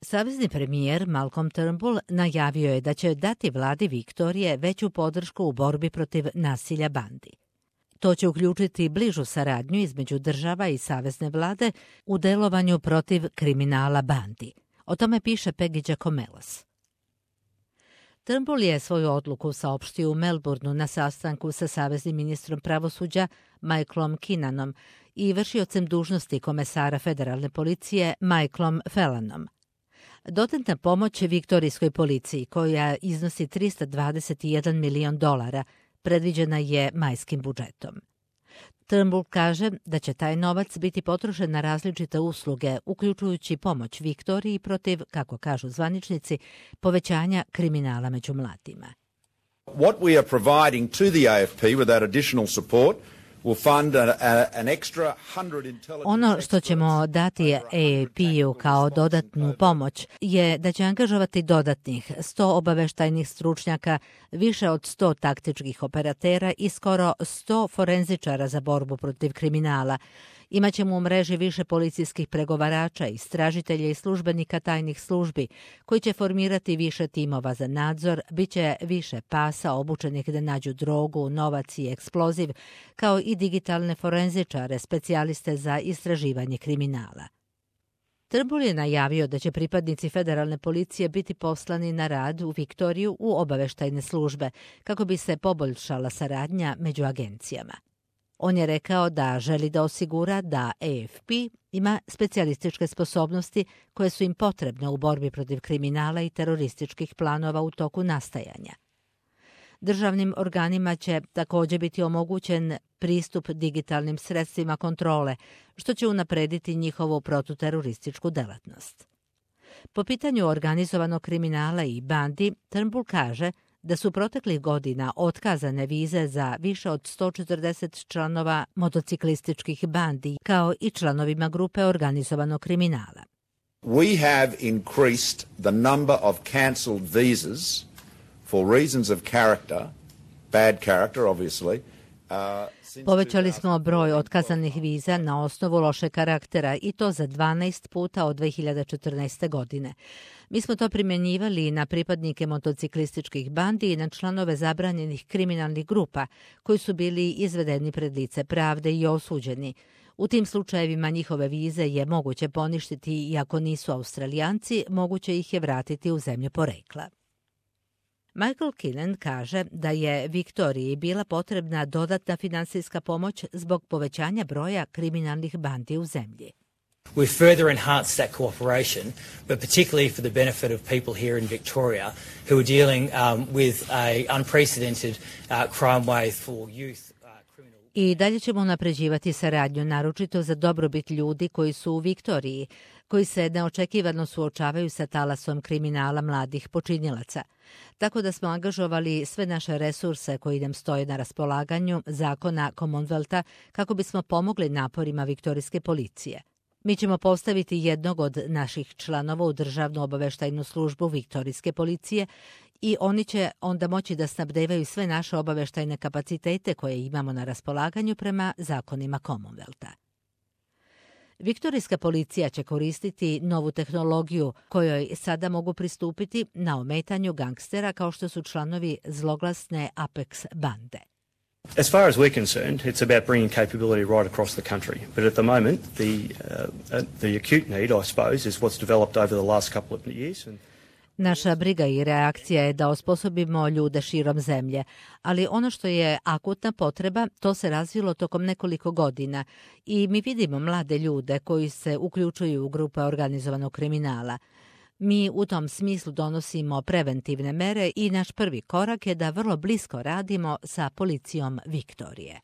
Savezni premijer Malcolm Turnbull najavio je da će dati vladi Viktorije veću podršku u borbi protiv nasilja bandi. To će uključiti bližu saradnju između država i savezne vlade u delovanju protiv kriminala bandi. O tome piše Peggy Giacomellos. Turnbull je svoju odluku saopštio u Melbourneu na sastanku sa saveznim ministrom pravosuđa Michaelom Kinnanom i vršiocem dužnosti komesara federalne policije Michaelom Fellanom. Dodatna pomoć viktorijskoj policiji, koja iznosi $321 milion, predviđena je majskim budžetom. Turnbull kaže da će taj novac biti potrošen na različite usluge, uključujući pomoć Viktoriji protiv, kako kažu zvaničnici, povećanja kriminala među mladima. What we are providing to the AFP with that additional support will fund an extra 100 intelligence. Ono što ćemo dati AAP-u kao dodatnu pomoć je da će angažovati dodatnih 100 obaveštajnih stručnjaka, više od 100 taktičkih operatera i skoro 100 forenzičara za borbu protiv kriminala. Imaćemo u mreži više policijskih pregovarača, istražitelja i službenika tajnih službi koji će formirati više timova za nadzor, bit će više pasa obučenih da nađu drogu, novac i eksploziv, kao i digitalne forenzičare, specijaliste za istraživanje kriminala. Turnbull je najavio da će pripadnici federalne policije biti poslani na rad u Viktoriju u obaveštajne službe kako bi se poboljšala saradnja među agencijama. On je rekao da želi da osigura da AFP ima specijalističke sposobnosti koje su im potrebne u borbi protiv kriminala i terorističkih planova u toku nastajanja. Državnim organima će također biti omogućen pristup digitalnim sredstvima kontrole, što će unaprediti njihovu protuterorističku delatnost. Po pitanju organizovanog kriminala i bandi, Turnbull kaže da su proteklih godina otkazane vize za više od 140 članova motociklističkih bandi, kao i članovima grupe organizovanog kriminala. We have increased the number of cancelled visas for reasons of character, bad character obviously. Povećali smo broj otkazanih viza na osnovu loše karaktera i to za 12 puta od 2014. godine. Mi smo to primjenjivali na pripadnike motociklističkih bandi i na članove zabranjenih kriminalnih grupa koji su bili izvedeni pred lice pravde i osuđeni. U tim slučajevima njihove vize je moguće poništiti i ako nisu Australijanci, moguće ih je vratiti u zemlju porekla. Michael Kinnan kaže da je Viktoriji bila potrebna dodatna finansijska pomoć zbog povećanja broja kriminalnih bandi u zemlji. We've further enhanced that cooperation, but particularly for the benefit of people here in Victoria who are dealing with a unprecedented crime wave for youth. I dalje ćemo unapređivati saradnju, naročito za dobrobit ljudi koji su u Viktoriji, koji se neočekivano suočavaju sa talasom kriminala mladih počinilaca. Tako da smo angažovali sve naše resurse koji nam stoje na raspolaganju zakona Commonwealtha kako bismo pomogli naporima viktorijske policije. Mi ćemo postaviti jednog od naših članova u državnu obaveštajnu službu viktorijske policije i oni će onda moći da snabdevaju sve naše obaveštajne kapacitete koje imamo na raspolaganju prema zakonima Commonwealtha. Viktorijska policija će koristiti novu tehnologiju kojoj sada mogu pristupiti na ometanju gangstera kao što su članovi zloglasne Apex bande. As far as we're concerned, it's about bringing capability right across the country. But at the moment, the acute need, I suppose, is what's developed over the last couple of years. Naša briga i reakcija je da osposobimo ljude širom zemlje, ali ono što je akutna potreba, to se razvilo tokom nekoliko godina i mi vidimo mlade ljude koji se uključuju u grupe organizovanog kriminala. Mi u tom smislu donosimo preventivne mere i naš prvi korak je da vrlo blisko radimo sa policijom Viktorije.